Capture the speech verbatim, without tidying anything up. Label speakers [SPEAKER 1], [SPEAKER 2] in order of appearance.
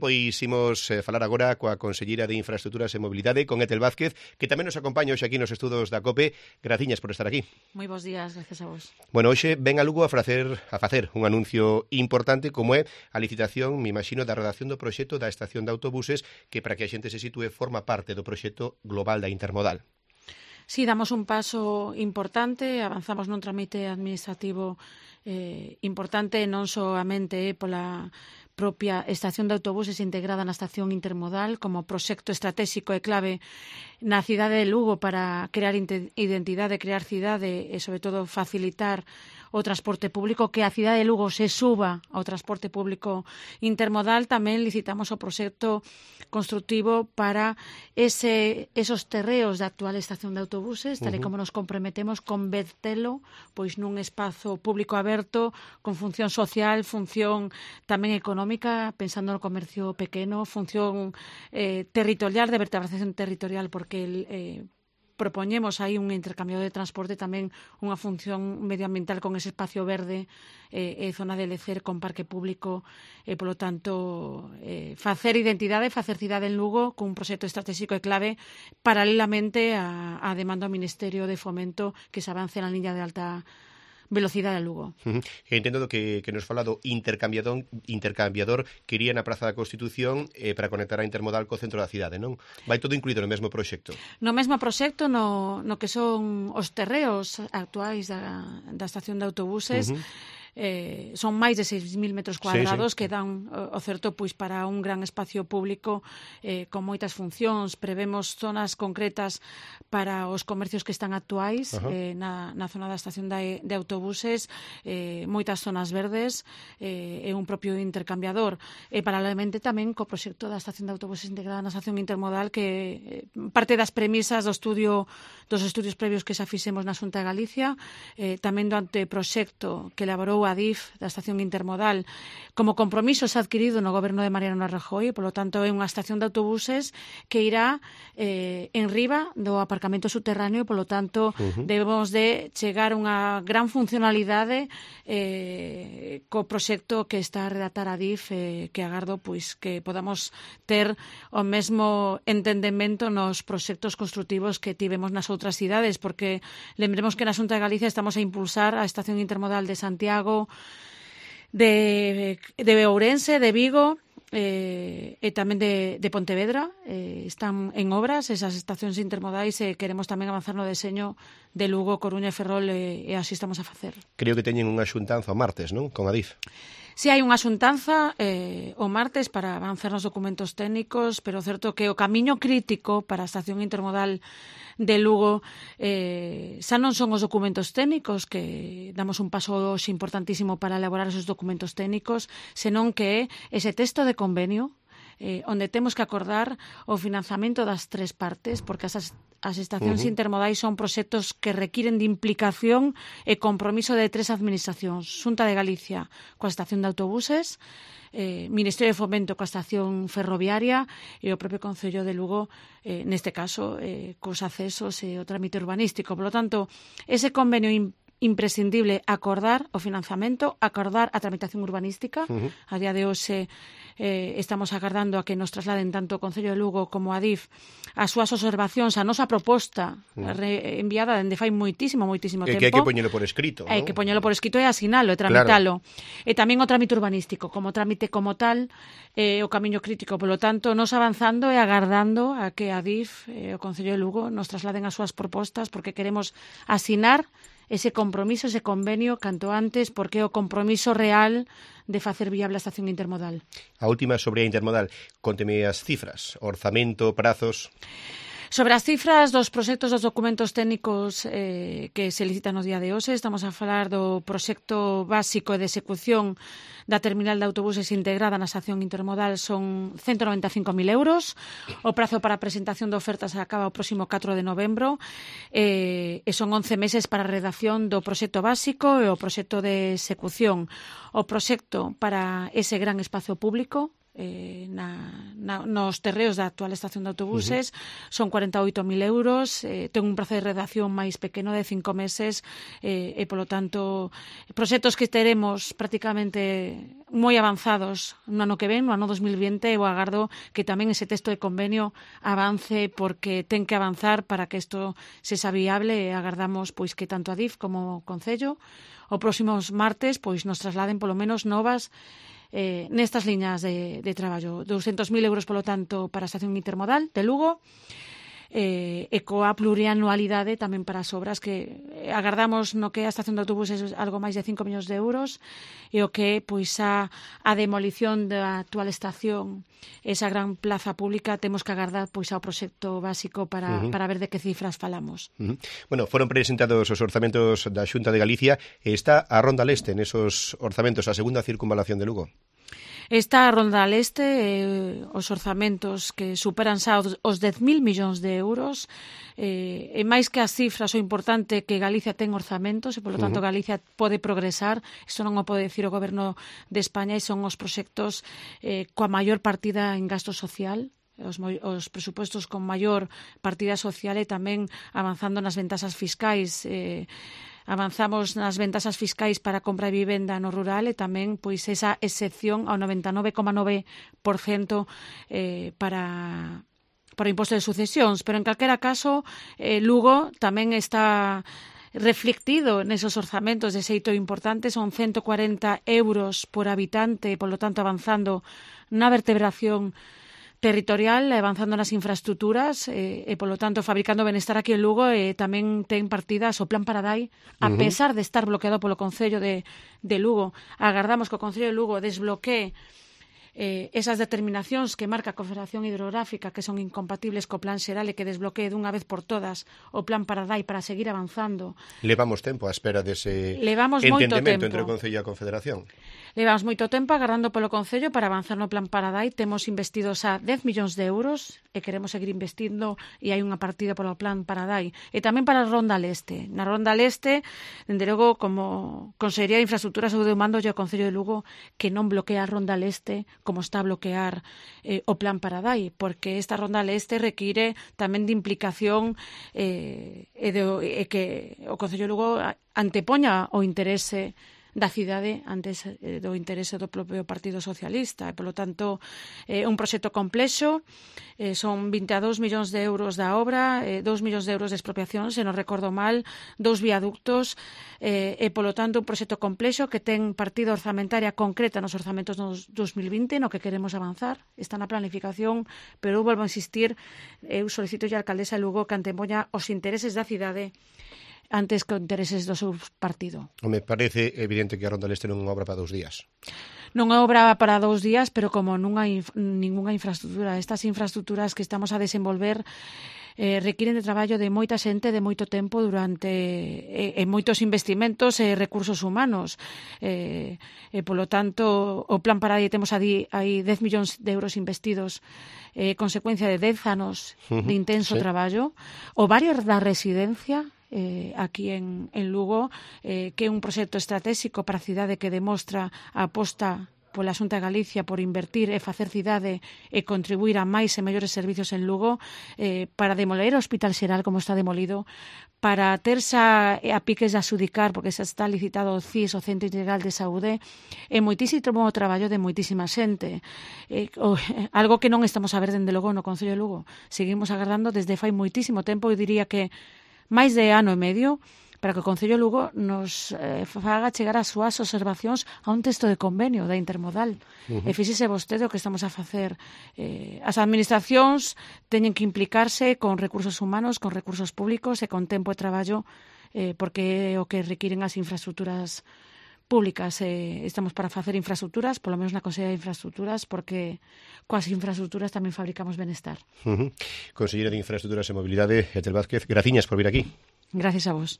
[SPEAKER 1] Pois imos eh, falar agora coa Conselleira de Infraestructuras e Mobilidade, con Etel Vázquez, que tamén nos acompaña hoxe aquí nos estudos da COPE. Graciñas por estar aquí.
[SPEAKER 2] Moi bons días, gracias a vos.
[SPEAKER 1] Bueno, hoxe ven a Lugo a facer, a facer un anuncio importante como é a licitación, me imagino, da redacción do proxecto da estación de autobuses, que para que a xente se sitúe forma parte do proxecto global da Intermodal.
[SPEAKER 2] Sí, damos un paso importante, avanzamos nun tramite administrativo eh, importante, non soamente eh, pola propia estación de autobuses integrada na estación intermodal como proxecto estratégico e clave na cidade de Lugo para crear identidade, crear cidade e, sobre todo, facilitar o transporte público, que a cidade de Lugo se suba ao transporte público intermodal. Tamén licitamos o proxecto constructivo para ese, esos terreos da actual estación de autobuses, tal e como nos comprometemos, convertelo pois nun espazo público aberto con función social, función tamén económica, pensando no comercio pequeno, función eh, territorial, de vertebración territorial, porque el, eh, propoñemos aí un intercambio de transporte, tamén unha función medioambiental con ese espacio verde eh, e zona de lecer con parque público e, polo tanto, eh, facer identidade, facer cidade en Lugo cun proxecto estratégico e clave paralelamente a, a demanda ao Ministerio de Fomento que se avance na liña de alta velocidade a Lugo.
[SPEAKER 1] Uh -huh. Entendo do que, que nos fala do intercambiador, intercambiador que iría na Praza da Constitución eh, para conectar a Intermodal co centro da cidade, non? Vai todo incluído no mesmo proxecto?
[SPEAKER 2] No mesmo proxecto, no, no que son os terreos actuais da, da estación de autobuses, uh -huh. Eh, son máis de seis mil metros cuadrados, sí, sí, que dan o certo pois para un gran espacio público eh, con moitas funcións. Prevemos zonas concretas para os comercios que están actuais uh -huh. eh, na, na zona da estación de, de autobuses, eh, moitas zonas verdes eh, e un propio intercambiador. E paralelamente tamén co proxecto da estación de autobuses integrada na estación intermodal, que eh, parte das premisas do estudio dos estudios previos que xa fixemos na Xunta de Galicia, eh, tamén do anteproxecto que elaborou a D I F da estación intermodal como compromiso se adquirido no goberno de Mariano Rajoy, polo tanto é unha estación de autobuses que irá eh, en riba do aparcamento subterráneo, polo tanto uh -huh. debemos de chegar a unha gran funcionalidade eh, co proxecto que está a redactar a D I F, eh, que agardo pois que podamos ter o mesmo entendemento nos proxectos construtivos que tivemos nas outras cidades, porque lembremos que na Xunta de Galicia estamos a impulsar a estación intermodal de Santiago, de, de Ourense, de Vigo eh, e tamén de, de Pontevedra. Eh, están en obras esas estacións intermodais e queremos tamén avanzar no deseño de Lugo, Coruña e Ferrol e, e así estamos a facer.
[SPEAKER 1] Creo que teñen unha xuntanza o martes, non? Con a D I F.
[SPEAKER 2] Si hai unha xuntanza eh, o martes para avanzar nos documentos técnicos, pero certo que o camiño crítico para a estación intermodal de Lugo eh, xa non son os documentos técnicos, que damos un paso importantísimo para elaborar esos documentos técnicos, senón que é ese texto de convenio eh, onde temos que acordar o financiamento das tres partes, porque as, as estacións uh -huh. intermodais son proxectos que requiren de implicación e compromiso de tres administracións: Xunta de Galicia coa estación de autobuses, eh, Ministerio de Fomento coa estación ferroviaria e o propio Concello de Lugo, eh, neste caso, eh, cos accesos e o trámite urbanístico. Por lo tanto, ese convenio imprescindible acordar o financiamento, acordar a tramitación urbanística. Uh -huh. A día de hoxe eh, estamos agardando a que nos trasladen tanto o Concello de Lugo como a D I F as súas observacións, a nosa proposta uh -huh. re, enviada dende fai moitísimo, moitísimo
[SPEAKER 1] que,
[SPEAKER 2] tempo.
[SPEAKER 1] Que hai que poñelo por escrito,
[SPEAKER 2] Hai
[SPEAKER 1] ¿no?
[SPEAKER 2] que poñelo por escrito e asinalo e tramitalo. Claro. E tamén o trámite urbanístico, como trámite como tal, eh, o camiño crítico. Polo tanto, nos avanzando e agardando a que a D I F e eh, o Concello de Lugo nos trasladen as súas propostas, porque queremos asinar ese compromiso, ese convenio canto antes, porque é o compromiso real de facer viable a estación intermodal.
[SPEAKER 1] A última sobre a intermodal, conteme as cifras, orzamento, prazos.
[SPEAKER 2] Sobre as cifras dos proxectos dos documentos técnicos eh, que se licitan no día de hoxe, estamos a falar do proxecto básico de execución da terminal de autobuses integrada na estación intermodal, son ciento noventa e cinco mil euros. O prazo para a presentación de ofertas acaba o próximo catro de novembro eh, e son once meses para a redacción do proxecto básico e o proxecto de execución. O proxecto para ese gran espazo público eh, na, na, nos terreos da actual estación de autobuses, uh-huh. son cuarenta e oito mil euros, eh, ten un prazo de redacción máis pequeno de cinco meses, eh, e, polo tanto, proxectos que teremos prácticamente moi avanzados no ano que ven, no ano dos mil vinte, eu agardo que tamén ese texto de convenio avance, porque ten que avanzar para que isto se xa viable, e agardamos pois que tanto a D I F como o Concello o próximos martes pois nos trasladen polo menos novas eh, nestas liñas de, de traballo. douscentos mil euros, polo tanto, para a estación intermodal de Lugo, eh, e coa plurianualidade tamén para as obras que agardamos no que a estación de autobuses algo máis de cinco millóns de euros, e o que pois a, a demolición da actual estación, esa gran plaza pública, temos que agardar pois ao proxecto básico para, uh-huh. para ver de que cifras falamos.
[SPEAKER 1] Uh-huh. Bueno, foron presentados os orzamentos da Xunta de Galicia e está a Ronda Leste nesos orzamentos, a segunda circunvalación de Lugo.
[SPEAKER 2] Está a Ronda Leste, eh, os orzamentos que superan xa os, os dez mil millóns de euros, eh, e máis que as cifras, o importante que Galicia ten orzamentos, e polo tanto uh-huh. Galicia pode progresar, isto non o pode decir o Goberno de España, e son os proxectos eh, coa maior partida en gasto social, Os, os presupostos con maior partida social, e tamén avanzando nas ventaxas fiscais. Eh, avanzamos nas ventaxas fiscais para compra de vivenda no rural, e tamén pois esa excepción ao noventa e nove coma nove por cento eh, para para o imposto de sucesións. Pero en calquera caso, eh, Lugo tamén está reflectido nesos orzamentos de xeito importante, son ciento cuarenta euros por habitante, polo tanto avanzando na vertebración territorial, avanzando nas infraestructuras, e, e polo tanto fabricando benestar aquí en Lugo, e tamén ten partidas o Plan Paradai, a uh-huh. pesar de estar bloqueado polo Concello de, de Lugo. Agardamos que o Concello de Lugo desbloquee eh, esas determinacións que marca a Confederación Hidrográfica, que son incompatibles co Plan Xeral, e que desbloquee dunha vez por todas o Plan Paradai para seguir avanzando.
[SPEAKER 1] Levamos tempo á espera dese
[SPEAKER 2] Levamos
[SPEAKER 1] entendemento entre o Concello e a Confederación.
[SPEAKER 2] Levamos moito tempo agardando polo Concello para avanzar no Plan Paradai. Temos investidos a dez millóns de euros e queremos seguir investindo, e hai unha partida polo Plan Paradai. E tamén para a Ronda Leste. Na Ronda Leste, dende logo, como Consellería de Infraestructuras, eu demando ao Concello de Lugo que non bloquea a Ronda Leste como está a bloquear eh, o Plan Paradai, porque esta Ronda Leste require tamén de implicación eh, e, de, e que o Concello de Lugo antepoña o interese da cidade antes eh, do interese do propio Partido Socialista, e polo tanto é eh, un proxecto complexo, eh, son vinte e dous millóns de euros da obra, eh, dous millóns de euros de expropiación, se non recordo mal, dous viaductos, eh, e polo tanto un proxecto complexo que ten partida orzamentaria concreta nos orzamentos dos dos mil vinte, no que queremos avanzar, está na planificación, pero eu volvo a insistir, eu solicito a alcaldesa de Lugo que antepoña os intereses da cidade antes que os intereses do seu partido.
[SPEAKER 1] Me parece evidente que a Ronda Leste non é unha obra para dous días.
[SPEAKER 2] Non é obra para dous días, pero como non hai inf- ninguna infraestructura. Estas infraestructuras que estamos a desenvolver eh, requiren de traballo de moita xente, de moito tempo durante e, e moitos investimentos e recursos humanos. Eh, e, polo tanto, o Plan Paradai temos aí, aí dez millóns de euros investidos, eh, consecuencia de dez anos de intenso sí. traballo. O barrio da residencia, Eh, aquí en, en Lugo, eh, que é un proxecto estratégico para a cidade que demostra a aposta pola Xunta de Galicia por invertir e facer cidade e contribuir a máis e mellores servicios en Lugo, eh, para demoler o Hospital Xeral como está demolido, para ter xa a piques de asudicar, porque xa está licitado o C I S, o Centro Integral de Saúde, e moitísimo traballo de moitísima xente. Eh, o, algo que non estamos a ver dende logo no Concello de Lugo. Seguimos agardando desde fai moitísimo tempo, eu diría que máis de ano e medio, para que o Concello de Lugo nos eh, faga chegar as súas observacións a un texto de convenio da intermodal. Uh-huh. E fíxese vostede o que estamos a facer. Eh, as administracións teñen que implicarse con recursos humanos, con recursos públicos e con tempo de traballo, eh, porque é o que requiren as infraestructuras públicas. Eh, estamos para facer infraestructuras, polo menos na Consellería de Infraestructuras, porque coas infraestructuras tamén fabricamos benestar.
[SPEAKER 1] Uh-huh. Conselleira de Infraestructuras e Mobilidade, Ethel Vázquez, graciñas por vir aquí.
[SPEAKER 2] Gracias a vos.